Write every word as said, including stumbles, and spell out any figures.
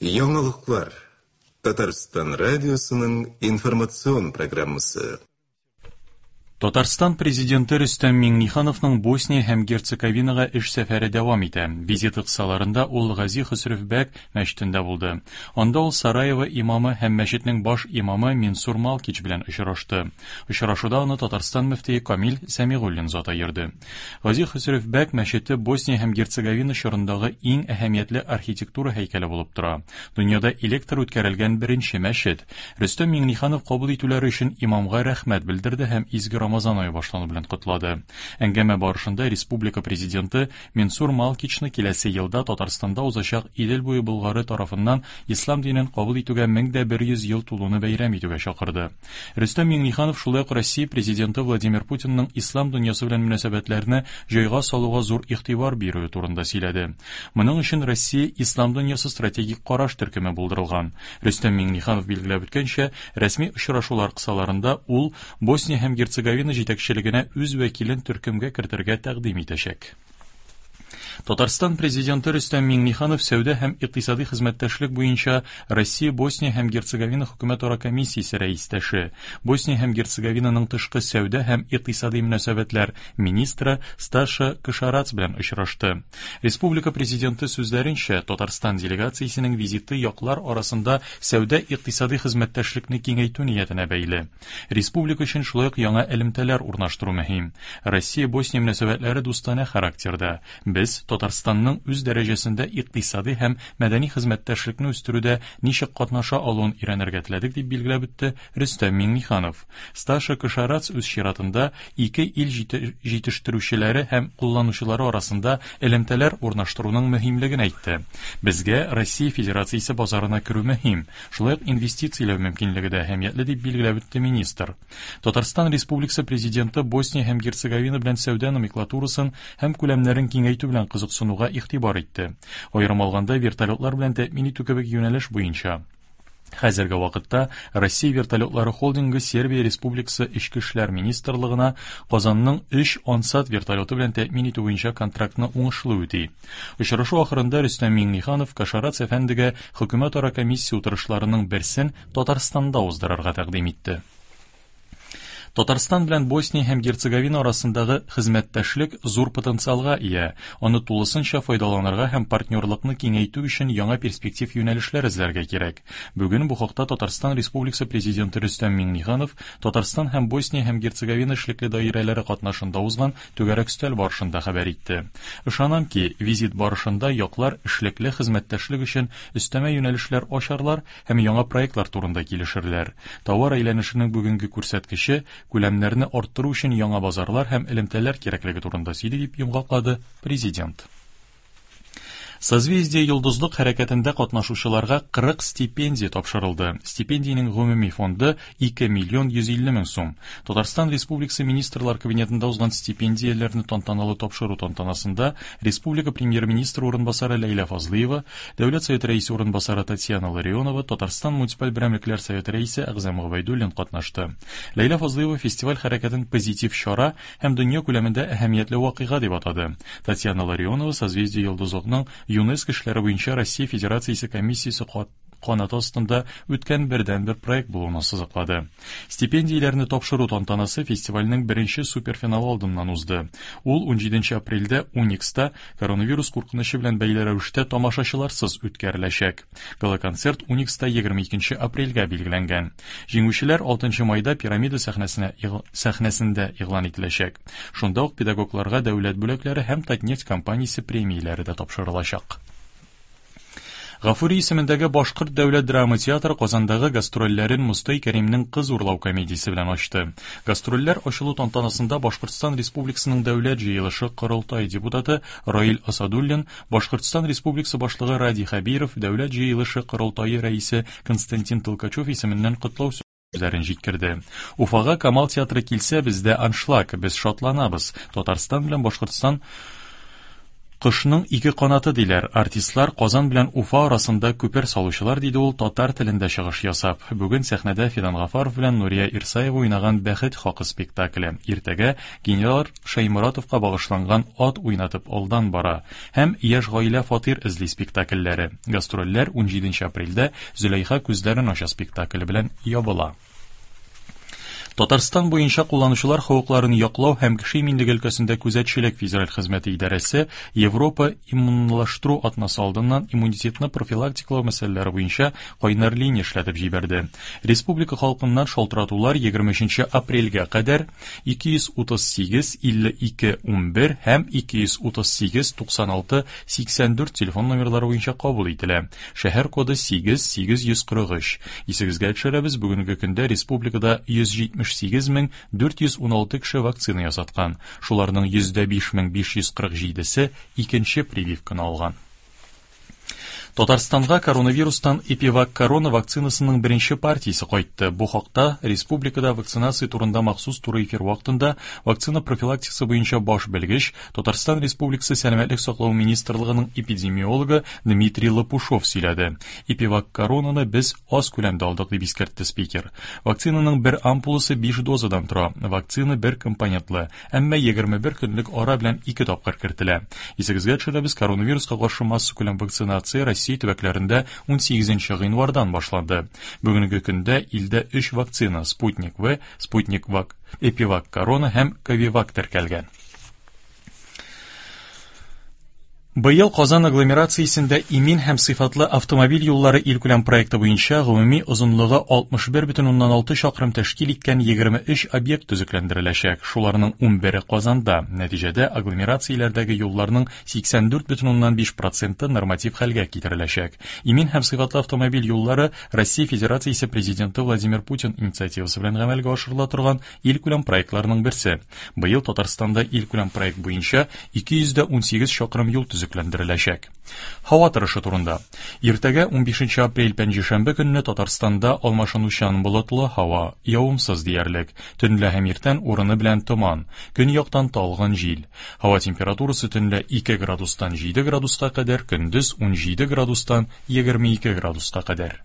Яңалыклар. Татарстан радиосының информацион программасы. Татарстан президенты Рөстәм Миңнехановның Босния һәм Герцеговинага эш сәфәре дәвам итә. Визиты кысаларында ул Гази Хөсрев-бәк мәчетендә булды. Анда ул Сараево имамы һәм мәчетнең баш имамы Минсур Малкич белән очрашты. Очрашуда аны Татарстан мөфтие Камил Сәмигуллин заты йөрде. Гази Хөсрев-бәк мәчете Босния һәм Герцеговина чорындагы иң әһәмиятле архитектура һәйкәле булып тора. Дөньяда электр үткәрелгән беренче мәчет. Рөстәм Миңнеханов кабул итүләре өчен имамга рәхмәт белдерде һәм изге Рамазан ае башлану белән котлады. Әңгәмә барышында республика президенты Минсур Малкичны киләсе елда Татарстанда узачак Идел буе Болгары тарафыннан ислам динен кабул итүгә мең дә бер йөз ел тулуны бәйрәм итүгә чакырды. Рөстәм Миңнеханов шулай ук Россия президенты Владимир Путинның ислам дөньясы белән мөнәсәбәтләрне җайга салуга зур игътибар бирүе турында сөйләде. Моның өчен Россия ислам дөньясы стратегик караш төркеме булдырылган. Рөстәм Миңнеханов билгеләп үткәнчә, рәсми очрашулар кысаларында ул Босния һәм Герцеговина җитәкчелегенә үз вәкилен төркемгә кертергә тәкъдим итәчәк. Татарстан президенты Рөстәм Миңнеханов сәүдә һәм икътисади хезмәттәшлек буенча Россия, Босния һәм Герцеговина хөкүмәтара комиссиясе рәистәше, Босния һәм Герцеговинаның тышкы сәүдә һәм икътисади мөнәсәбәтләр министры Сташа Кошарац белән очрашты. Республика президенты сүзләренчә, Татарстан делегациясенең визиты яклар арасында сәүдә икътисади хезмәттәшлекне киңәйтү ниятенә бәйле. Республика өчен шулай ук яңа элемтәләр урнаштыру мөһим. Россия-Босния мөнәсәбәтләре дустанә характерда. Без Татарстанның үз дәрәҗәсендә икътисади һәм мәдәни хезмәттәшлекне үстерүдә ничек катнаша алуын өйрәнергә теләдек, дип билгеләп үтте Рөстәм Миңнеханов. Сташа Кошарац үз чиратында ике ил җитештерүчеләре һәм кулланучылары арасында элемтәләр урнаштыруның мөһимлеген әйтте. Безгә Россия Федерациясе базарына керү мөһим, шулай ук инвестицияләү мөмкинлеге дә әһәмиятле, дип билгеләп үтте министр. Татарстан Республикасы президенты Босния һәм Герцеговина белән сәүдә номенклатурасын һәм күләмнәрен киңәйтү белән кызыксынуга игътибар итте. Аерым алганда, вертолетлар белән тәэмин итү кебек юнәлеш буенча. Хәзерге вакытта Россия вертолетлары холдингы Сербия Республикасы Эчке эшләр министрлыгына Казанның өч Ансат вертолеты белән тәэмин итү буенча контрактны уңышлы үти. Очрашу ахырында Рөстәм Миңнеханов Кошарац әфәндегә хөкүмәтара комиссия утырышларының берсен Татарстанда уздырырга тәкъдим итте. Татарстан белән Босния һәм Герцеговина арасындагы хезмәттәшлек зур потенциалга ия. Аны тулысынча файдаланырга һәм партнерлыкны киңәйтү өчен яңа перспектив юнәлешләр эзләргә кирәк. Бүген бу хакта Татарстан Республикасы президенты Рөстәм Миңнеханов Татарстан һәм Босния һәм Герцеговина эшлекле даирәләре катнашында узган түгәрәк өстәл барышында хәбәр итте. Ышанам ки, визит барышында яклар эшлекле хезмәттәшлек өчен өстәмә юнәлешләр ачарлар һәм яңа проектлар турында килешерләр. Товар әйләнешенең бүгенге күрсәткече күләмнәрне арттыру өчен яңа базарлар һәм элемтәләр кирәклеге турында сөйли, дип йомгаклады президент. Созвездие йолдызлык хәрәкәтендә катнашучыларга кырык стипендия тапшырылды. Стипендиянең гомуми фонды ике миллион йөз илле мең сум. Татарстан Республикасы Министрлар Кабинетында узган стипендияләрне тантаналы тапшыру тантанасында Республика премьер-министры урынбасары Ләйлә Фазлыева, Дәүләт Советы рәисе урынбасары Татьяна Ларионова, Татарстан муниципаль берәмлекләр советы рәисе Әгъзам Гобәйдуллин катнашты. Ләйлә Фазлыева фестиваль хәрәкәтен позитив чара һәм дөнья күләмендә әһәмиятле вакыйга дип атады. Татьяна Ларионова Созвездие йолдызлыкның ЮНЕСКО эшләре буенча Россия Федерациясе комиссиясе канаты астында үткән бердәнбер проект булуын ассызыклады. Стипендияләрне тапшыру тантанасы фестивальнең беренче суперфиналы алдыннан узды. Ул унҗиденче апрельдә Уникста коронавирус куркынычы белән бәйле рәвештә тамашачыларсыз үткәреләчәк. Гала-концерт Уникста егерме икенче апрельгә билгеләнгән. Җиңүчеләр алтынчы майда Пирамида сәхнәсенә сәхнәсендә игълан ителәчәк. Шунда ук педагогларга дәүләт бүләкләре һәм Татнефть компаниясе премияләре дә тапшырылачак. Гафури исемендәге Башкорт дәүләт драма театры Казандагы гастрольләрен Мостай Кәримнең Кыз урлау комедиясе белән ачты. Гастрольләр ачылу тантанасында Башкортстан Республикасының дәүләт җыелышы Корылтай депутаты Раил Асадуллин, Башкортстан Республикасы башлыгы Радий Хәбиров, дәүләт җыелышы Корылтайы рәисе Константин Толкачев исеменнән котлау сүзләрен җиткерде. Уфага Камал театры килсә, бездә аншлаг, без шатланабыз. Татарстан белән Башкортстан Кошның ике канаты диләр. Артистлар Казан белән Уфа арасында күпер салучылар, диде ул татар телендә чыгыш ясап. Бүген сәхнәдә Фидан Гафаров белән Нурия Ирсаева уйнаган Бәхет хакы спектакле. Иртәгә генерал Шәйморатовка багышланган Ат уйнатып алдан бара һәм Яшь гаилә фатир эзли спектакльләре. Гастрольләр унҗиденче апрельдә Зөләйха күзләрен ача спектакле белән ябыла. Татарстан буенча кулланучылар хокукларын яклау һәм кеше иминлеге өлкәсендә күзәтчелек федераль хезмәте идарәсе Европа иммунлаштыру атнасы алдыннан иммунитетны профилактикалау мәсьәләләре буенча кайнар линия эшләтеп җибәрде. Республика халкыннан шалтыратулар егерме өченче апрельгә кадәр ике йөз утыз сигез илле ике унбер һәм ике йөз утыз сигез туксан алты сиксән дүрт телефон номерлары буенча кабул ителә. Шәһәр коды сигез сигез йөз кырык өч. Исегезгә төшерәбез, бүгенге көндә республикада йөз җитмеш сигез мең дүрт йөз уналты кеше вакцина ясаткан. Шуларның йөз дә биш мең биш йөз кырык җидесе икенче прививканы алган. Татарстанга коронавирустан Эпивак корона вакцинасының беренче партиясе кайтты. Бу хакта республикада вакцинация турында махсус туры эфир вакытында вакцина профилактикасы буенча баш белгеч Татарстан Республикасы Сәламәтлек саклау министрлыгының эпидемиологы Дмитрий Лопушов сөйләде. Эпивак коронаны без аз күләмдә алдык, дип искәртте спикер. Вакцинаның бер ампуласы биш дозадан тора. Вакцина бер компонентлы, әмма егерме бер көнлек ара белән ике тапкыр кертелә. Исегезгә төшерәбез, коронавируска каршы массакүләм вакцинация Россия төбәкләрендә унсигезенче гыйнвардан башланды. Бүгенге көндә илдә өч вакцина Спутник В, Спутник Вак, Эпивак Корона һәм Ковивак теркәлгән. Быел Казан агломерациясендә имин һәм сыйфатлы автомобиль юллары илкүләм проекты буенча гомуми озынлыгы алтмыш бер бөтен уннан алты чакрым тәшкил иткән егерме өч объект төзекләндереләчәк. Шуларның унбере Казанда. Нәтиҗәдә агломерацияләрдәге юлларның сиксән дүрт бөтен уннан биш проценты норматив хәлгә китереләчәк. Имин һәм сыйфатлы автомобиль юллары Россия Федерациясе Президенты Владимир Путин инициативасы белән гамәлгә ашырыла торган илкүләм проектларның берсе. Быел Татарстанда илкүләм проект буенча ике йөз дә унсигез чакрым юл төзекләндереләчәк. Һава торышы турында. Иртәгә унбишенче апрель пәнҗешәмбе көнне Татарстанда алмашынучан болытлы һава, явымсыз диярлек. Төнлә һәм иртән урыны белән томан, көньяктан талгын җил. Һава температурасы төнлә ике градустан җиде градуска кадәр, көндез унҗиде градустан егерме ике градуска кадәр.